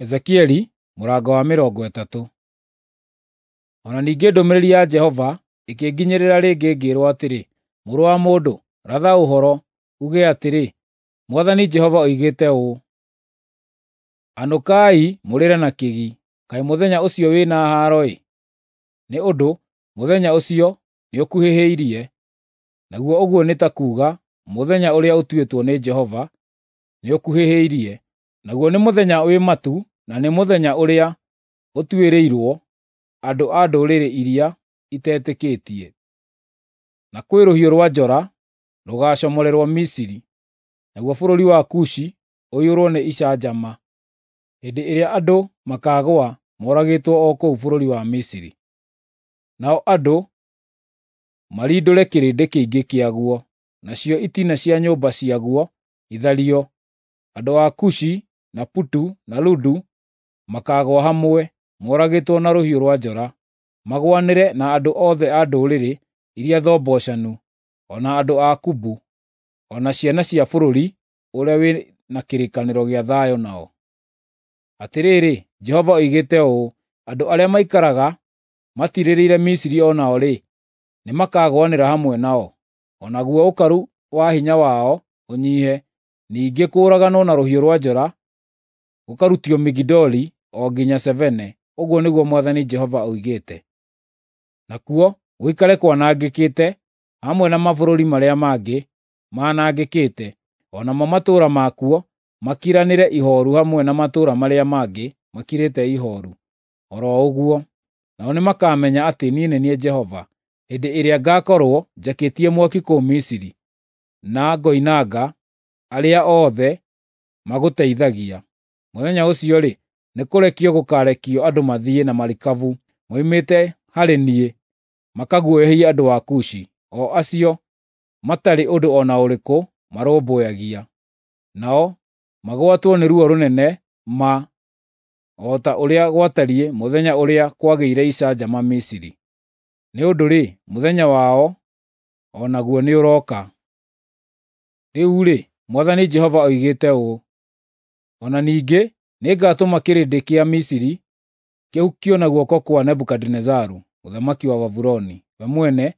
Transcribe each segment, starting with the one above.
Ezekieli mũrango wa 30. O na ningĩ ndũmĩrĩri ya Jehova ĩkĩnginyĩrĩra rĩngĩ ngĩĩrwo atĩrĩ, mũrũ wa mũndũ, ratha ũhoro, uuge atĩrĩ, Mwathani Jehova oigĩte ũũ: Anũkai mũrĩre na kĩgi, kaĩ mũthenya ũcio wĩ na haaro-ĩ! Nĩ ũndũ mũthenya ũcio nĩũkuhĩhĩirie, naguo ũguo nĩ ta kuuga mũthenya ũrĩa ũtuĩtwo nĩ Jehova nĩũkuhĩhĩirie, naguo nĩ mũthenya wĩ matu na nĩ mũthenya ũrĩa ũtuĩrĩirwo andũ a ndũrĩrĩ iria itetĩkĩtie. Na kwĩ rũhiũ rwa njora rũgaacomorerwo Misiri, naguo bũrũri wa Kushi ũiyũrwo nĩ icanjama, hĩndĩ ĩrĩa andũ makaagũa moragĩtwo o kũu bũrũri wa Misiri. Nao andũ marindũre kĩrĩndĩ kĩingĩ kĩaguo, nacio itina cia nyũmba ciaguo ithario. Andũ a Kushi na Putu na Ludu makaagũa hamwe, moragĩtwo na rũhiũ rwa njora, magũanĩre na andũ othe a ndũrĩrĩ iria thombocanu, o na andũ a Kubu, o na ciana cia bũrũri ũrĩa wĩ na kĩrĩkanĩro gĩa thayũ nao. Atĩrĩrĩ, Jehova oigĩte ũũ, andũ arĩa maikaraga matiirĩrĩire Misiri o nao-rĩ, nĩmakagũanĩra hamwe nao, o naguo ũkaru wa hinya wao ũnyiihe. Ningĩ kũũraganwo na rũhiũ rwa njora gũkarutio Migidoli o nginya Sevene, ũguo nĩguo Mwathani Jehova oigĩte. Nakuo gũikare kwanangĩkĩte hamwe na mabũrũri marĩa mangĩ manangĩkĩte, o namo matũũra makuo makiranĩre ihooru hamwe na matũũra marĩa mangĩ makirĩte ihooru, o ro ũguo. Nao nĩmakamenya atĩ niĩ nĩ niĩ Jehova, hĩndĩ ĩrĩa ngaakorwo njakĩtie mwaki kũu Misiri, na ngoinanga arĩa othe magũteithagia. Mũthenya ũcio-rĩ, nĩkũrekio gũkaarekio andũ mathiĩ na marikabu moimĩte harĩ niĩ makaguoyohie andũ a Kushi, o acio matarĩ ũndũ o na ũrĩkũ marũmbũyagia. Nao magwatwo nĩ ruo rũnene ma, o ta ũrĩa gwatariĩ mũthenya ũrĩa kwagĩire icanjama Misiri. Nĩ ũndũ-rĩ, mũthenya wao o naguo nĩũrooka. Rĩu-rĩ, Mwathani Jehova oigĩte ũũ, o na ningĩ nĩngatũma kĩrĩndĩ kĩa Misiri kĩhukio na guoko kwa Nebukadinezaru mũthamaki wa Babuloni, we mwene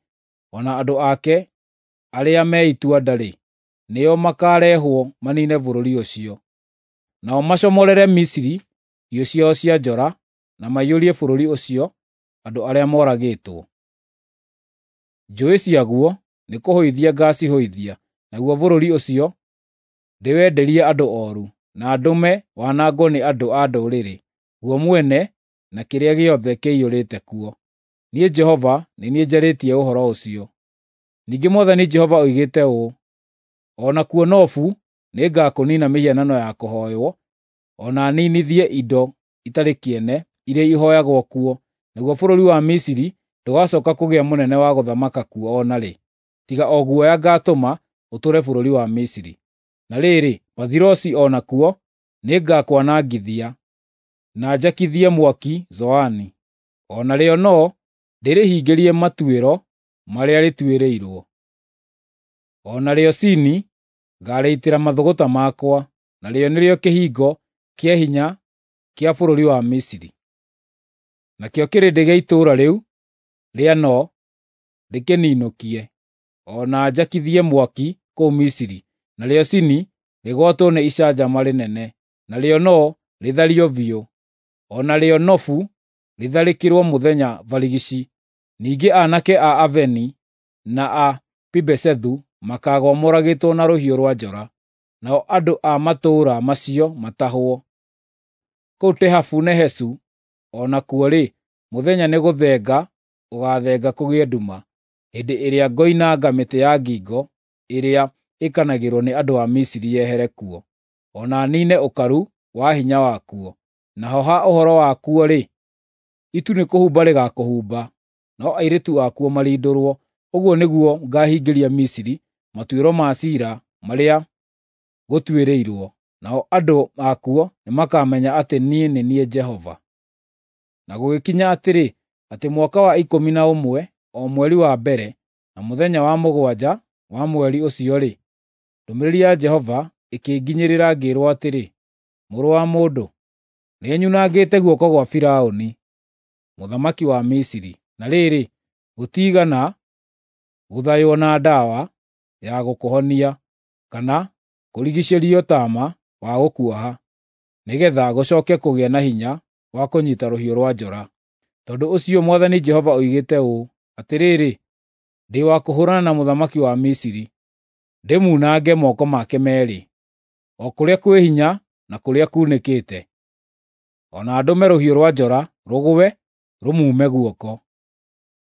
o na andũ ake arĩa me itua-nda-rĩ, nĩo makaarehwo maniine bũrũri ũcio. Nao macomorere Misiri hiũ ciao cia njora na maiyũrie bũrũri ũcio andũ arĩa moragĩtwo. Njũũĩ ciaguo nĩkũhũithia ngaacihũithia, naguo bũrũri ũcio ndĩwenderie andũ ooru, na ndũme wanangwo nĩ andũ a ndũrĩrĩ, guo mwene na kĩrĩa gĩothe kĩiyũrĩte kuo. Niĩ Jehova nĩ niĩ njarĩtie ũhoro ũcio. Ningĩ Mwathani Jehova oigĩte ũũ, o nakuo Nofu nĩngakũniina mĩhianano ya kũhooywo, o na ninithie indo itarĩ kĩene iria ihooyagwo kuo, naguo bũrũri wa Misiri ndũgacooka kũgĩa mũnene wa gũthamaka kuo o na rĩ, tiga o guoya ngaatũma ũtũũre bũrũri wa Misiri. Na rĩrĩ, Pathirosi o nakuo nĩngakwanangithia, na njakithie mwaki Zoani. O narĩo No ndĩrĩhingĩrie matuĩro marĩa rĩtuĩrĩirwo. O narĩo Sini ngaarĩitĩra mathũgũta makwa, narĩo nĩrĩo kĩhingo kĩa hinya kĩa bũrũri wa Misiri. Nakĩo kĩrĩndĩ gĩa itũũra rĩu rĩa No ndĩkĩninũkie, o na njakithie mwaki kũu Misiri, narĩo Sini rĩgwatwo nĩ icanjama rĩnene, narĩo No rĩthario biũ, o narĩo Nofu rĩtharĩkĩrwo mũthenya barigici. Ningĩ aanake a Aveni na a Pibesethu makaagũa moragĩtwo na rũhiũ rwa njora, nao andũ a matũũra macio matahwo. Kũu Tehafunehesu o nakuo-rĩ, mũthenya nĩgũthenga ũgaathenga kũgĩe nduma, hĩndĩ ĩrĩa ngoinanga mĩtĩ ya ngingo ĩrĩa ĩkanagĩrwo nĩ andũ a Misiri yehere kuo, o na niine ũkaru wa hinya wakuo. Naho ha ũhoro wakuo-rĩ, itu nĩkũhumba rĩgaakũhumba, no airĩtu akuo marindũrwo. Ũguo nĩguo ngaahingĩria Misiri matuĩro ma ciira marĩa gũtuĩrĩirwo, nao andũ akuo nĩmakamenya atĩ niĩ nĩ niĩ Jehova. Na gũgĩkinya atĩrĩ, atĩ mwaka wa 11, o mweri wa mbere, na mũthenya wa 7 wa mweri ũcio-rĩ, ndũmĩrĩri ya Jehova ĩkĩnginyĩrĩra ngĩĩrwo atĩrĩ, Mũrũ wa mũndũ, Nĩnyunangĩte guoko gwa Firaũni mũthamaki wa Misiri, na rĩrĩ, gũtiigana gũthaywo na ndawa ya gũkũhonia, kana kũrigiicĩrio taama wa gũkuoha, nĩgeetha gũcooke kũgĩa na hinya wa kũnyiita rũhiũ rwa njora. Tondũ ũcio Mwathani Jehova oigĩte ũũ: Atĩrĩrĩ, ndĩ wa kũhũũrana na mũthamaki wa Misiri, ndĩmunange moko make meerĩ, o kũrĩa kwĩ hinya na kũrĩa kuunĩkĩte, o na ndũme rũhiũ rwa njora rũgwe rũmuume guoko.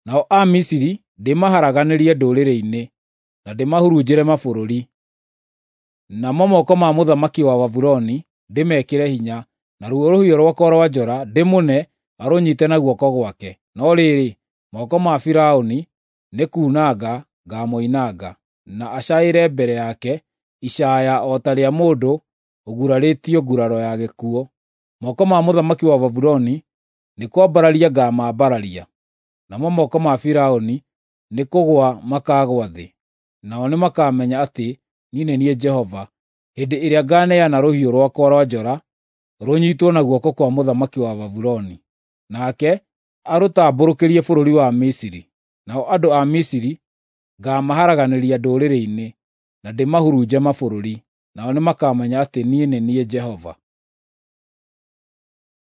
Nao Amisiri ndĩmaharaganĩrie ndũrĩrĩ-inĩ, na ndĩmahurunjĩre mabũrũri. Namo moko ma mũthamaki wa Babuloni ndĩmekĩre hinya, naruo rũhiũ rwakwa rwa njora ndĩmũne arũnyiite na guoko gwake. No rĩrĩ, moko ma Firaũni nĩ kuunanga ngaamoinanga, na acaĩre mbere yake icaaya o ta rĩa mũndũ ũgurarĩtio nguraro ya gĩkuũ. Moko ma mũthamaki wa Babuloni nĩ kwambararia ngaamambararia, namo moko ma Firaũni nĩ kũgũa makaagũa thĩ. Nao nĩmakamenya atĩ niĩ nĩ niĩ Jehova, hĩndĩ ĩrĩa ngaaneana rũhiũ rwakwa rwa njora rũnyiitwo na guoko kwa mũthamaki wa Babuloni, nake arũtambũrũkĩrie bũrũri wa Misiri. Nao andũ a Misiri ngaamaharaganĩria ndũrĩrĩ-inĩ, na ndĩmahurunje mabũrũri. Nao nĩmakamenya atĩ niĩ nĩ niĩ Jehova.